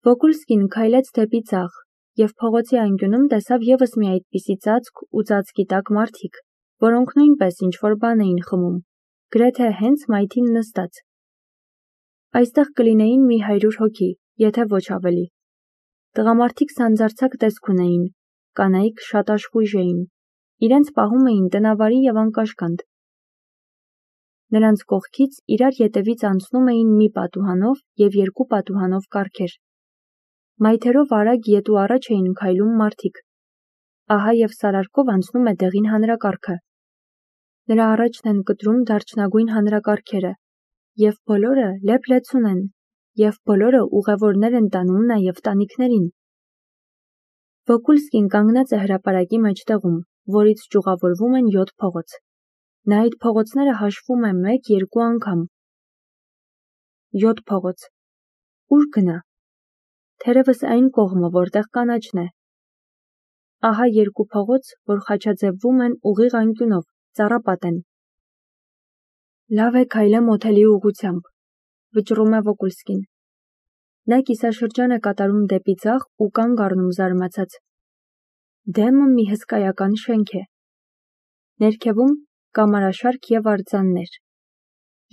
Վոկուլսկին քայլեց դեպի ձախ, և փողոցի անկյունում տեսավ ևս մի այդպիսի ծածկ ու ծածկի տակ մարդիկ, որոնք նույնպես ինչ-որ բան էին խմում, գրեթե հենց մայթին նստած։ Այստեղ կլինեին մի 100 հոգի, եթե ոչ ավելի։ Տղամարդիկ սանձարձակ տեսք ունեին, կանայք շատ աշխույժ էին, իրենց պահում էին տնավարի և անկաշկանդ։ Նրանց կողքից իրար ետևից անցնում էին մի պատուհանով և 2 պատուհանով կառքեր։ Մայթերով արագ ետ ու առաջ էին քայլում մարդիկ։ Ահա և սարարկով անցնում է դեղին հանրակառքը։ Նրա առաջն են կտրում դարչնագույն հանրակառքերը, և բոլորը լեփ-լեցուն են, և բոլորը ուղևորներ են տանում նաև տանիքներին։ Վոկուլսկին կանգնած է հրապարակի մեջտեղում, որից ճյուղավորվում են 7 փողոց։ Նա այդ փողոցները հաշվում է 1-2 անգամ։ 7 փողոց։ Ուր գնա։ Թերևս այն կողմը, որտեղ կանաչն է։ Ահա 2 փողոց, որ խաչաձևվում են ուղիղ անկյունով, ծառապատ են։ Լավ է քայլեմ օթելի ուղղությամբ, վճռում է Վոկուլսկին։ Նա կիսաշրջան է կատարում դեպի ձախ ու կանգ առնում զարմացած։ Դեմը մի հսկայական շենք է։ Ներքևում կամարաշարք և արձաններ։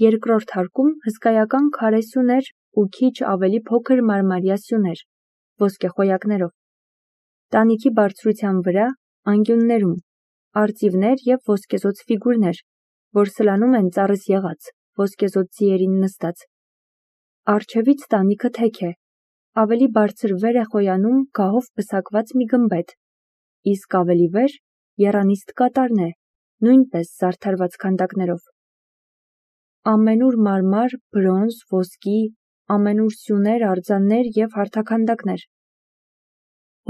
Երկրորդ հարկում հսկայական քարե սյուներ ու քիչ ավելի փոքր մարմարյա սյուներ, ոսկեխոյակներով։ Տանիքի բարձրության վրա, անկյուններում, արծիվներ և ոսկեզօծ ֆիգուրներ, որ սլանում են ծառից եղած, ոսկեզօծ ձիերին նստած։ Առջևից տանիքը թեք է, ավելի բարձր վեր է խոյանում գահով պսակված մի գմբեթ, իսկ ավելի վեր եռանիստ կատարն է, նույնպես զարդարված քանդակներով։ Ամենուր մարմար, բրոնզ, ոսկի, ամենուր սյուներ, արձաններ և հարթաքանդակներ։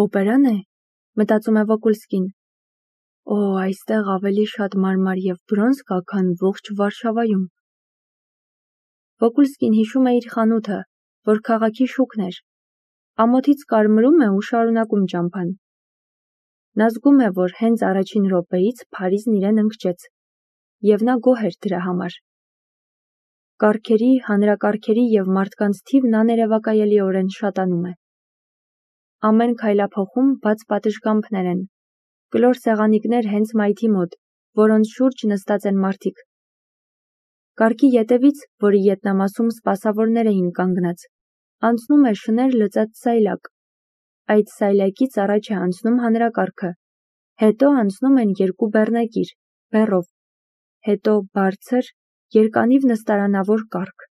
Օպերան է, մտածում է Վոկուլսկին։ Օ, այստեղ ավելի շատ մարմար և բրոնզ կա, քան ողջ Վարշավայում։ Վոկուլսկին հիշում է իր խանութը, որ քաղաքի շուկն էր։ Ամոթից կարմրում է ու շարունակում ճամփան։ Նա զգում է, որ հենց առաջին րոպեից Փարիզն իրեն ընկճեց, և նա գոհ էր դրա համար։ Կառքերի, հանրակառքերի և մարդկանց թիվն աներևակայելիորեն շատանում է։ Ամեն քայլափոխում բաց պատշգամբներ են, կլոր սեղանիկներ հենց մայթի մոտ, որոնց շուրջ նստած են մարդիկ։ Կառքի ետևից, որի ետնամասում սպասավորներ էին կանգնած, անցնում է շներ լծած սայլակ։ Այդ սայլակից առաջ է անցնում հանրակառքը, հետո անցնում են 2 բեռնակիր, բեռով, հետո բարձր, երկանիվ նստարանավոր կառք,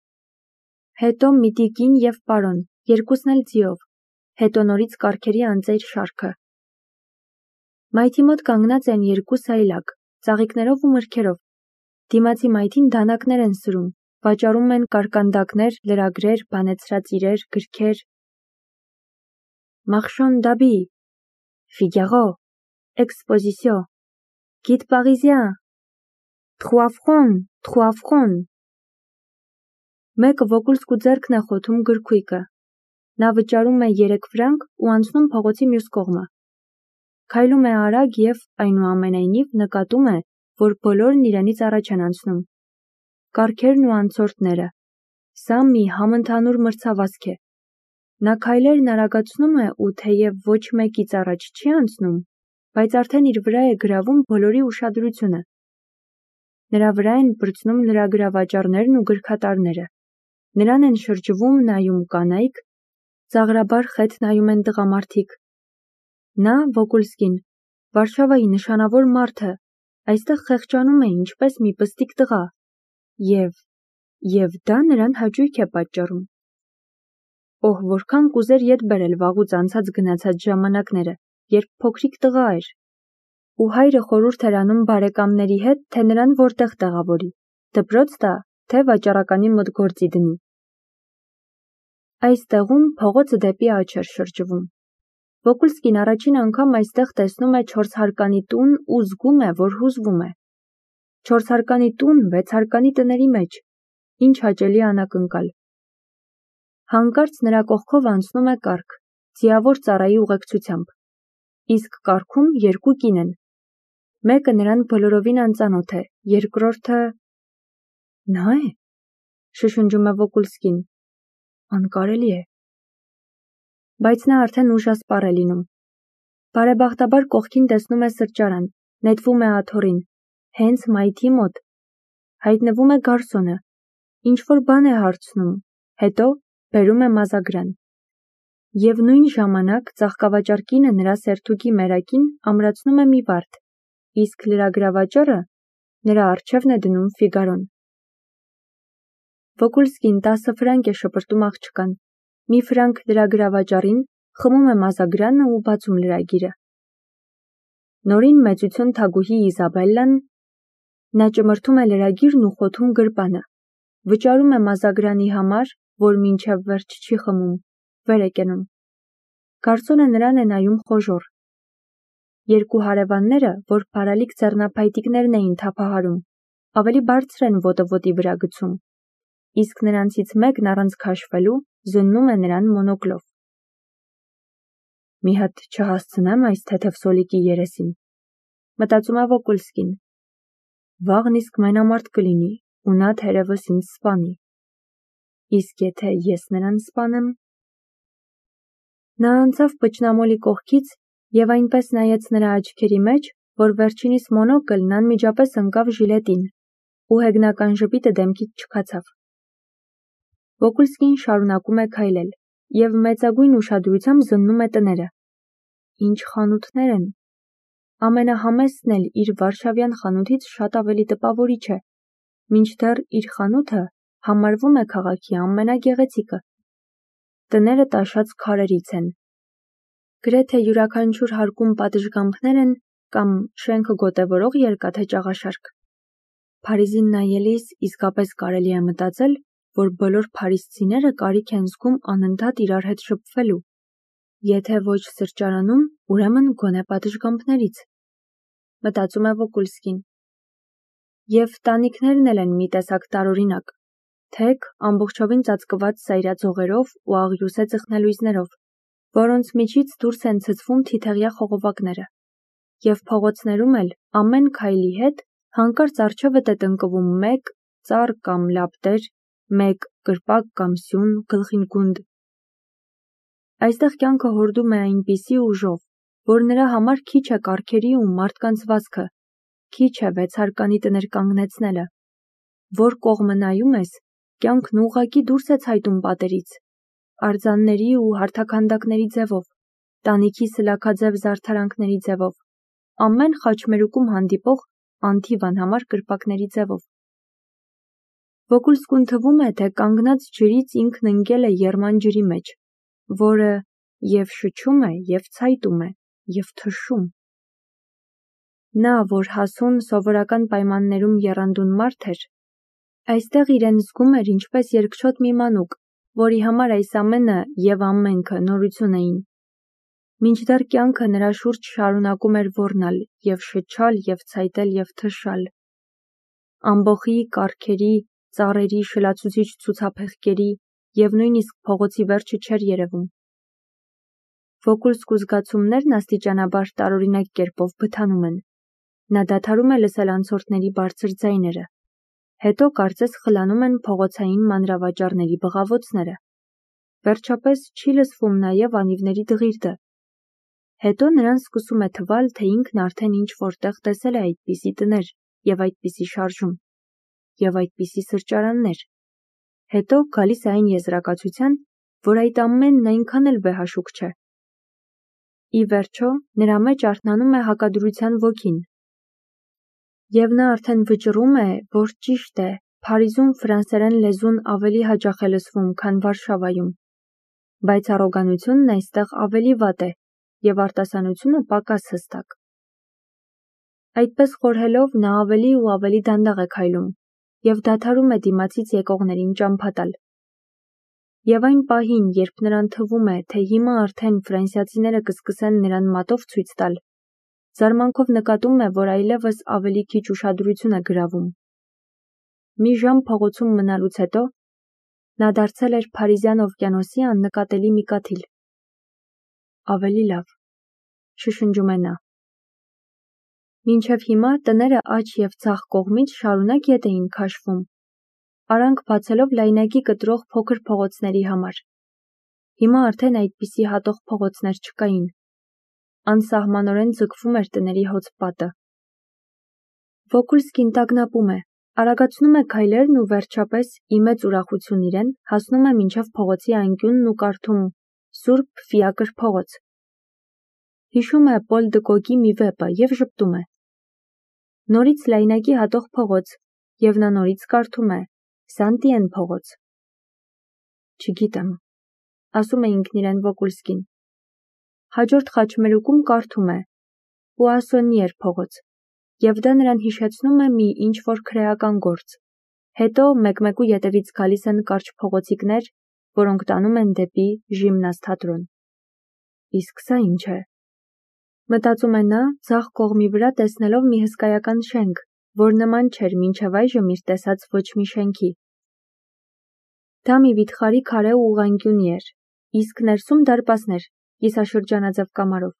հետո մի տիկին և պարոն, երկուսն էլ ձիով, հետո նորից կառքերի անծեր շարքը։ Մայթի մոտ կանգնած են 2 սայլակ, ծաղիկներով ու մրգերով։ Դիմացի մայթին դանակներ են սրում, վաճառում են կարկանդակներ, լրագրեր, բանեցրած իրեր, գրքեր։ Marchand d'habits, Figaro, Exposition, Guide parisien, 3 francs, 3 francs։ Մեկը Վոկուլսկու ձեռքն է խոթում գրքույկը։ Նա վճարում է 3 ֆրանկ ու անցնում փողոցի մյուս կողմը։ Քայլում է արագ և, այնուամենայնիվ, նկատում է, որ բոլորն իրենից առաջ են անցնում։ Կառքերն ու անցորդները։ Սա մի համընդհանուր մրցավազք է։ Նա քայլերն արագացնում է ու թեև ոչ մեկից առաջ չի անցնում, բայց արդեն իր վրա է գրավում բոլորի ուշադրությունը։ Նրա վրա են պրծնում լրագրավաճառներն ու գրքատարները։ Նրան են շրջվում նայում կանայք, ծաղրաբար խեթ նայում են տղամարդիկ։ Նա, Վոկուլսկին, Վարշավայի նշանավոր մարդը, այստեղ խեղճանում է ինչպես մի պստիկ տղա, և դա նրան հաճույք է պատճառում։ Օհ, որքան կուզեր ետ բերել վաղուց անցած-գնացած ժամանակները, երբ փոքրիկ տղա էր։ Ու հայրը խորհուրդ էր անում բարեկամների հետ, թե նրան որտեղ տեղավորի, դպրոց տա, թե վաճառականի մոտ գործի դնի։ Այս տեղում փողոցը դեպի աջ էր շրջվում։ Վոկուլսկին առաջին անգամ այստեղ տեսնում է 4 հարկանի տուն ու զգում է, որ հուզվում է։ 4 հարկանի տուն 6 հարկանի տների մեջ, ինչ հաճելի անակնկալ։ Հանկարծ նրա կողքով անցնում է կառք, ձիավոր ծառայի ուղեկցությամբ, իսկ կառքում 2 կին են։ Մեկը նրան բոլորովին անծանոթ է, երկրորդը… Նա է, շշնջում է Վոկուլսկին։ Անկարելի է։ բայց նա արդեն ուժասպառ է լինում։ Բարեբախտաբար կողքին տեսնում է սրճարան, նետվում է աթոռին, հենց մայթի մոտ։ Հայտնվում է գարսոնը, ինչ-որ բան է հարցնում, հետո բերում է մազագրան։ Եվ նույն ժամանակ ծաղկավաճառ կինը նրա սերթուկի մերակին ամրացնում է մի վարդ, իսկ լրագրավաճառը նրա առջևն է դնում Ֆիգարոն։ Վոկուլսկին 10 ֆրանկ է շպրտում աղջկան, մի ֆրանկ լրագրավաճառին, խմում է մազագրանը ու բացում լրագիրը։ Նորին մեծություն թագուհի Իզաբելլան, նա ճմրթում է լրագիրն ու խոթում գրպանը, վճարում է մազագրանի համար, որ մինչև վերջ չի խմում, վեր է կենում։ Գարսոնը նրան է նայում խոժոռ։ Երկու հարևանները, որ բարալիկ ձեռնափայտիկներն էին թափահարում, ավելի բարձր են ոտը ոտի վրա գցում, իսկ նրանցից մեկն առանց քաշվելու զննում է նրան մոնոկլով։ Մի հատ չհասցնեմ այս թեթև սոլիկի երեսին, մտածում է Վոկուլսկին։ Վաղն իսկ մենամարտ կլինի ու նա թերևս ինձ սպանի։ Իսկ եթե ես նրան սպանեմ։ Նա անցավ պճնամոլի կողքից և այնպես նայեց նրա աչքերի մեջ, որ վերջինիս մոնոկլն անմիջապես ընկավ ժիլետին ու հեգնական ժպիտը դեմքից չքացավ։ Վոկուլսկին շարունակում է քայլել և մեծագույն ուշադրությամբ զննում է տները։ Ինչ խանութներ են։ Ամենահամեստն էլ իր վարշավյան խանութից շատ ավելի տպավորիչ է, մինչդեռ իր խանութը համարվում է քաղաքի ամենագեղեցիկը։ Տները տաշած քարերից են։ Գրեթե յուրաքանչյուր հարկում պատշգամբներ են կամ շենքը գոտևորող երկաթե ճաղաշարք։ Փարիզին նայելիս իսկապես կարելի է մտածել, որ բոլոր փարիզցիները կարիք են զգում անընդհատ իրար հետ շփվելու, եթե ոչ սրճարանում, ուրեմն գոնե պատշգամբներից, մտածում է Վոկուլսկին։ Եվ տանիքներն էլ են մի տեսակ տարօրինակ, թեք, ամբողջովին ծածկված սայրաձողերով ու աղյուսե ծխնելույզներով, որոնց միջից դուրս են ցցվում թիթեղյա խողովակները, և փողոցներում էլ ամեն քայլի հետ հանկարծ առջևդ է տնկվում մեկ ծառ կամ լապտեր, մեկ կրպակ կամ սյուն, գլխին գունդ։ Այստեղ կյանքը հորդում է այնպիսի ուժով, որ նրա համար քիչ է կառքերի ու մարդկանց վազքը, քիչ է վեցարկանի տներ կանգնեցնելը։ Որ կողմը նայում ես, կյանքն ուղղակի դուրս է ցայտում պատերից, արձանների ու հարթաքանդակների ձևով, տանիքի սլաքաձև զարդարանքների ձևով, ամեն խաչմերուկում հանդիպող անթիվ անհամար կրպակների ձևով։ Վոկուլսկուն թվում է, թե կանգնած ջրից ինքն ընկել է եռման ջրի մեջ, որը և շչում է, և ցայտում է, և թշում։ Նա, որ հասուն սովորական պայմաններում եռանդուն մարդ էր, այստեղ իրեն զգում էր ինչպես երկչոտ մի մանուկ, որի համար այս ամենը և ամենքը նորություն էին։ Մինչդեռ կյանքը նրա շուրջ շարունակում էր ոռնալ և շչալ և ցայտել և թշալ։ Ամբոխի, կառքերի, ծառերի, շլացուցիչ ցուցափեղկերի և նույնիսկ փողոցի վերջը չէր երևում։ Վոկուլսկու զգացումներն աստիճանաբար տարօրինակ կերպով բթանում են։ Նա դադարում է լսել անցորդների բարձր ձայները, հետո կարծես խլանում են փողոցային մանրավաճառների բղավոցները։ Վերջապես չի լսվում նաև անիվների դղիրդը։ Հետո նրան սկսում է թվալ, թե ինքն արդեն ինչ-որտեղ տեսել է այդպիսի տներ և այդպիսի շարժում և այդպիսի սրճարաններ։ Հետո գալիս է այն եզրակացության, որ այդ ամենն այնքան էլ վեհաշուկ չէ։ Ի վերջո, նրա մեջ արթնանում է հակադրության ոգին։ Եվ նա արդեն վճռում է, որ ճիշտ է, Փարիզում ֆրանսերեն լեզուն ավելի հաճախ է լսվում, քան Վարշավայում, բայց առոգանությունն այստեղ ավելի վատ է և արտասանությունը պակաս հստակ։ Այդպես խորհելով նա ավելի ու ավելի դանդաղ է քայլում և դադարում է դիմացից եկողներին ճամփա տալ։ Եվ այն պահին, երբ նրան թվում է, թե հիմա արդեն ֆրանսիացիները կսկսեն նրան մատով ցույց տալ, զարմանքով նկատում է, որ այլևս ավելի քիչ ուշադրություն է գրավում։ Մի ժամ փողոցում մնալուց հետո նա դարձել էր Փարիզյան օվկիանոսի աննկատելի մի կաթիլ։ Ավելի լավ, շշնջում է նա։ Մինչև հիմա տները աջ և ձախ կողմից շարունակ ետ էին քաշվում, արանք բացելով լայնակի կտրող փոքր փողոցների համար։ Հիմա արդեն այդպիսի հատող փողոցներ չկային։ Անսահմանորեն ձգվում էր տների հոծպատը։ Վոկուլսկին տագնապում է, արագացնում է քայլերն ու վերջապես, ի մեծ ուրախություն իրեն, հասնում է մինչև փողոցի անկյունն ու կարդում Սուրբ Ֆիակր փողոց։ Հիշում է Պոլ դը Գոգի մի վեպը և ժպտում է։ Նորից լայնակի հատող փողոց, և նա նորից կարդում է Սանտիեն փողոց։ Չգիտեմ, ասում է ինքն իրեն Վոկուլսկին։ Հաջորդ խաչմերուկում կարդում է Պուասոնիեր փողոց, և դա նրան հիշեցնում է մի ինչ-որ քրեական գործ։ Հետո մեկ-մեկու ետևից գալիս են կարճ փողոցիկներ, որոնք տանում են դեպի ժիմնասթատրոն։ Իսկ սա ինչ է։ Մտածում է նա, ձախ կողմի վրա տեսնելով մի հսկայական շենք, որ նման չէր մինչև այժմ իր տեսած ոչ մի շենքի։ Դա մի վիթխարի քարե ու ուղղանկյունի էր, իսկ ներսում դարպասներ, կիսաշրջանաձև կամարով։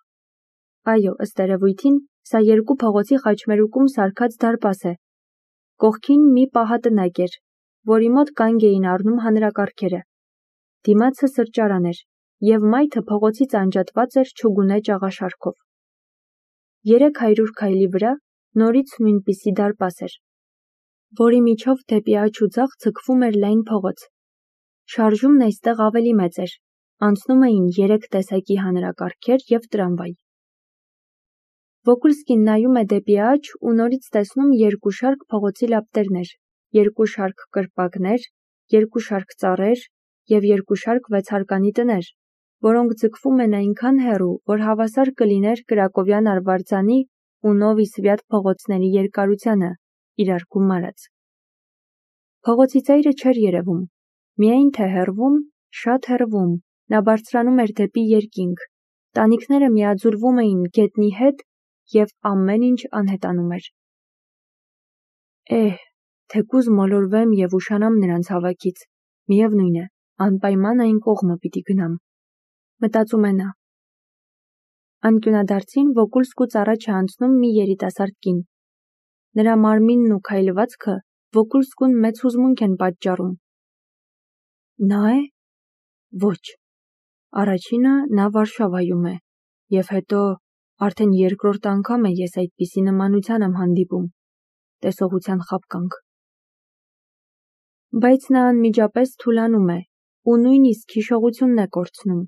Այո, ըստ երևույթին, սա երկու փողոցի խաչմերուկում սարքած դարպաս է։ Կողքին մի պահատնակ էր, որի մոտ կանգ էին առնում հանրակարգերը։ Դիմացը սրճարան էր, և մայթը փողոցից անջատված էր չուգունե ճաղաշարքով։ 300 քայլի վրա նորից նույնպիսի դարպաս էր, որի միջով դեպի աջ ու ձախ ձգվում էր լայն փողոց։ Շարժումն այստեղ ավելի մեծ էր, անցնում էին 3 տեսակի հանրակարգեր և տրամվայ։ Վոկուլսկին նայում է դեպի աջ ու նորից տեսնում 2 շարք փողոցի լապտերներ, 2 շարք կրպակներ, 2 շարք ծառեր և 2 շարք վեցարկանի տներ, որոնք ձգվում են այնքան հեռու, որ հավասար կլիներ Կրակովյան արվարձանի ու Նովի Սվյատ փողոցների երկարությանը, իրար գումարած։ Փողոցի ծայրը չէր երևում, միայն թե հեռվում, շատ հեռվում, նա բարձրանում էր դեպի երկինք, տանիքները միաձուլվում էին գետնի հետ և ամեն ինչ անհետանում էր։ Թեկուզ մոլորվեմ և ուշանամ նրանց հավաքից, միևնույն է, անպայման այն կողմը պիտի գնամ, մտածում է նա։ Անկյունադարձին Վոկուլսկուց առաջ է անցնում մի երիտասարդ կին։ Նրա մարմինն ու քայլվածքը Վոկուլսկուն մեծ հուզմունք են պատճառում։ Նա է։ Ոչ։ Առաջինը նա Վարշավայում է, և հետո արդեն երկրորդ անգամ է ես այդպիսի նմանության եմ հանդիպում, տեսողության խաբկանք։ Բայց նա անմիջապես թուլանում է ու նույնիսկ հիշողությունն է կորցնում։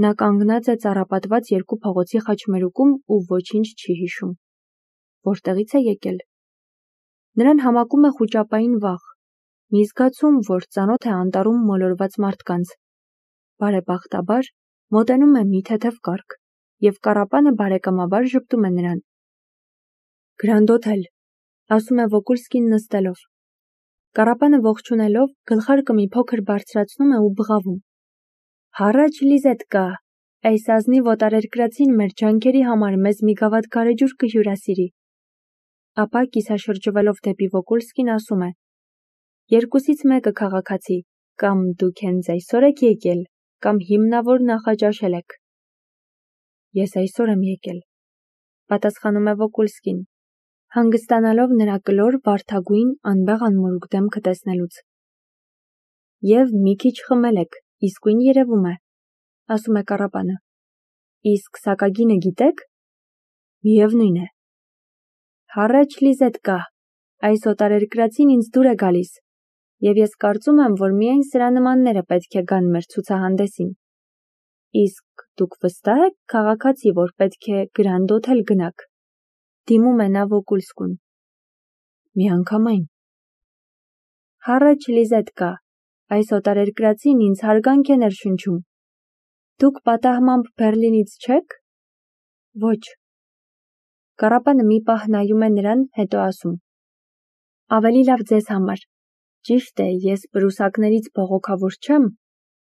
Նա կանգնած է ծառապատված 2 փողոցի խաչմերուկում ու ոչինչ չի հիշում։ Որտեղից է եկել։ Նրան համակում է խուճապային վախ, մի զգացում, որ ծանոթ է անտառում մոլորված մարդկանց։ Բարեբախտաբար, մոտենում է մի թեթև կառք, և կառապանը բարեկամաբար ժպտում է նրան։ Գրանդ Օթել, ասում է Վոկուլսկին նստելով։ Կառապանը ողջունելով, գլխարկը մի փոքր բարձրացնում է ու բղավում։ Հառաչ Լիզետկա, այս ազնիվ օտարերկրացին մեր ջանքերի համար մեզ մի գավաթ գարեջուր կհյուրասիրի։ Ապա կիսաշրջվելով դեպի Վոկուլսկին ասում է. Երկուսից մեկը քաղաքացի, կամ դուք հենց այսօր եք եկել, կամ հիմնավոր նախաճաշել եք։ Ես այսօր եմ եկել, պատասխանում է Վոկուլսկին, հանգստանալով նրա կլոր, վարդագույն, անբեղ անմորուք դեմքը տեսնելուց։ Եվ մի քիչ խմել եք, իսկույն երևում է, ասում է կառապանը։ Իսկ սակագինը գիտեք։ Միևնույն է։ Հառաչ Լիզետկա, այս օտարերկրացին ինձ դուր է գալիս, և ես կարծում եմ, որ միայն սրա նմանները պետք է գան մեր ցուցահանդեսին։ Իսկ դուք վստահ եք, քաղաքացի, որ պետք է Գրանդ Օթել գնաք։ Դիմում է նա Վոկուլսկուն։ Միանգամայն։ Հառաչ Լիզետկա, այս օտարերկրացին ինձ հարգանք է ներշնչում։ Դուք պատահմամբ Բեռլինից չեք։ Ոչ։ Կառապանը մի պահ նայում է նրան, հետո ասում. Ավելի լավ ձեզ համար։ Ճիշտ է, ես պրուսակներից բողոքավոր չեմ,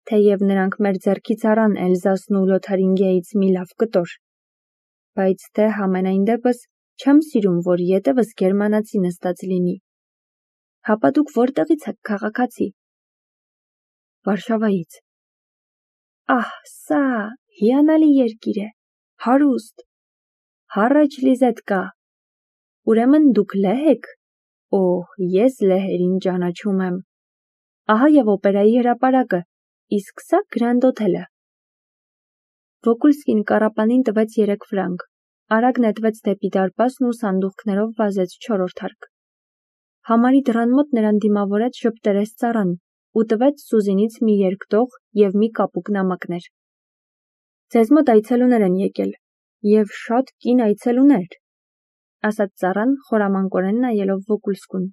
թեև նրանք մեր ձեռքից առան Էլզասն ու Լոթարինգիայից մի լավ կտոր։ Բայց դե համենայն դեպս չեմ սիրում, որ ետևս գերմանացի նստած լինի։ Հապա դուք որտեղից եք, քաղաքացի։ Վարշավայից։ Սա հիանալի երկիր է, հարուստ։ Հառաչ Լիզետկա, ուրեմն դուք լեհ եք։ Ես լեհերին ճանաչում եմ։ Ահա և օպերայի հրապարակը, իսկ սա Grand Hotel-ը։ Վոկուլսկին կառապանին տվեց 3 ֆրանկ, արագ նետվեց դեպի դարպասն ու սանդուղքներով վազեց 4-րդ հարկ։ Համարի դռան մոտ նրան դիմավորեց ժպտերես ծառան ու տվեց Սուզինից մի երկտող և մի կապուկ նամակներ։ Ձեզ մոտ այցելուներ են եկել, և շատ կին այցելուներ, ասաց ծառան խորամանկորեն նայելով Վոկուլսկուն։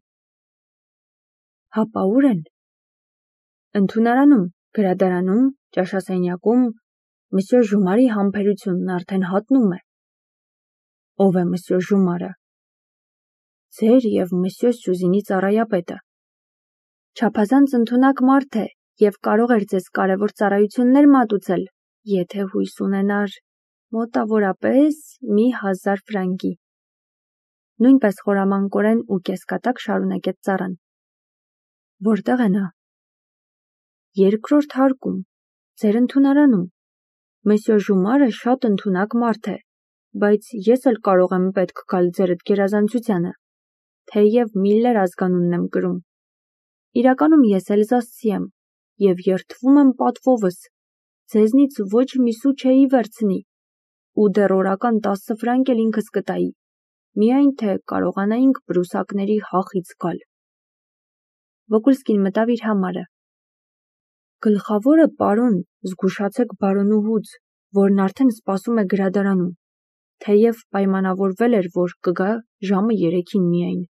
Հապա ուր են։ Ընդունարանում, գրադարանում, ճաշասենյակում, Մսյո Ժումարի համբերությունն արդեն հատնում է։ Ով է Մսյո Ժումարը։ Ձեր և Մսյո Սյուզինի ծառայապետը։ Չափազանց ընդունակ մարդ է և կարող էր ձեզ կարևոր ծառայություններ մատուցել, եթե հույս ունենար մոտավորապես մի 1000 ֆրանկի։ Նույնպես խորամանկորեն ու կեսկատակ շարունակեց ծառան։ Որտեղ է նա։ 2-րդ հարկում, ձեր ընդունարանում։ Մսյո Ժումարը շատ ընդունակ մարդ է, բայց ես էլ կարող եմ պետք գալ ձերդ գերազանցությանը, թեև Միլլեր ազգանունն եմ կրում։ Իրականում ես էլզասցի եմ և երդվում եմ պատվովս, ձեզնից ոչ մի սու չէի վերցնի, ու դեռ օրական 10 ֆրանկ էլ ինքս կտայի, միայն թե կարողանայինք պրուսակների հախից գալ։ Վոկուլսկին մտավ իր համարը։ Գլխավորը պարոն, զգուշացեք բարոնուհուց, որն արդեն սպասում է գրադարանում, թեև պայմանավորվել էր, որ կգա ժամը 3-ին միայն։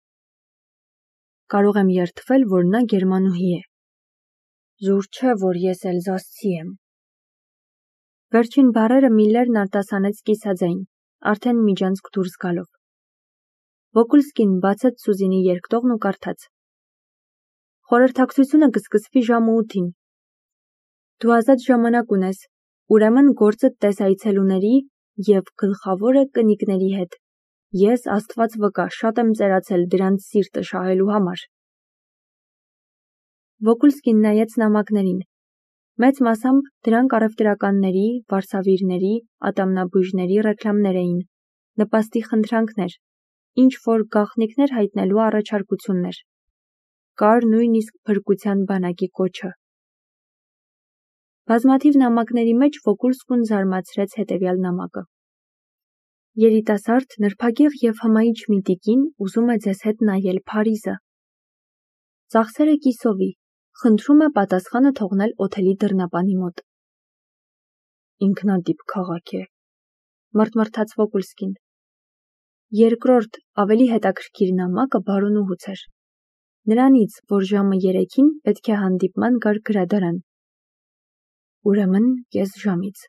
Կարող եմ երդվել, որ նա գերմանուհի է։ Զուր չէ, որ ես էլզասցի եմ։ Վերջին բառերը Միլլերն արտասանեց կիսաձայն, արդեն միջանցք դուրս գալով։ Վոկուլսկին բացեց Սուզինի երկտողն ու կարդաց. Խորհրդակցությունը կսկսվի ժամը 8-ին։ Դու ազատ ժամանակ ունես, ուրեմն գործդ տես այցելուների և գլխավորը կնիկների հետ։ Ես Աստված վկա, շատ եմ ծերացել դրանց սիրտը շահելու համար։ Վոկուլսկին նայեց նամակներին։ Մեծ մասամբ դրանք առևտրականների, վարսավիրների, ատամնաբույժների ռեկլամներ էին, նպաստի խնդրանքներ, ինչ որ գաղտնիքներ հայտնելու առաջարկություններ։ Կար նույնիսկ փրկության բանակի կոչը։ Բազմաթիվ նամակների մեջ Վոկուլսկուն զարմացրեց հետևյալ նամակը. Երիտասարդ, նրբագեղ և հմայիչ մի տիկին ուզում է ձեզ հետ նայել Փարիզը։ Ծախսերը կիսովի, խնդրում է պատասխանը թողնել օթելի դռնապանի մոտ։ Ինքնատիպ քաղաք է, մռթմռթաց Վոկուլսկին։ Երկրորդ, ավելի հետաքրքիր նամակը բարոնուհուց էր։ Նրանից, որ ժամը 3-ին պետք է հանդիպման գար գրադարան։ Ուրեմն կես ժամից։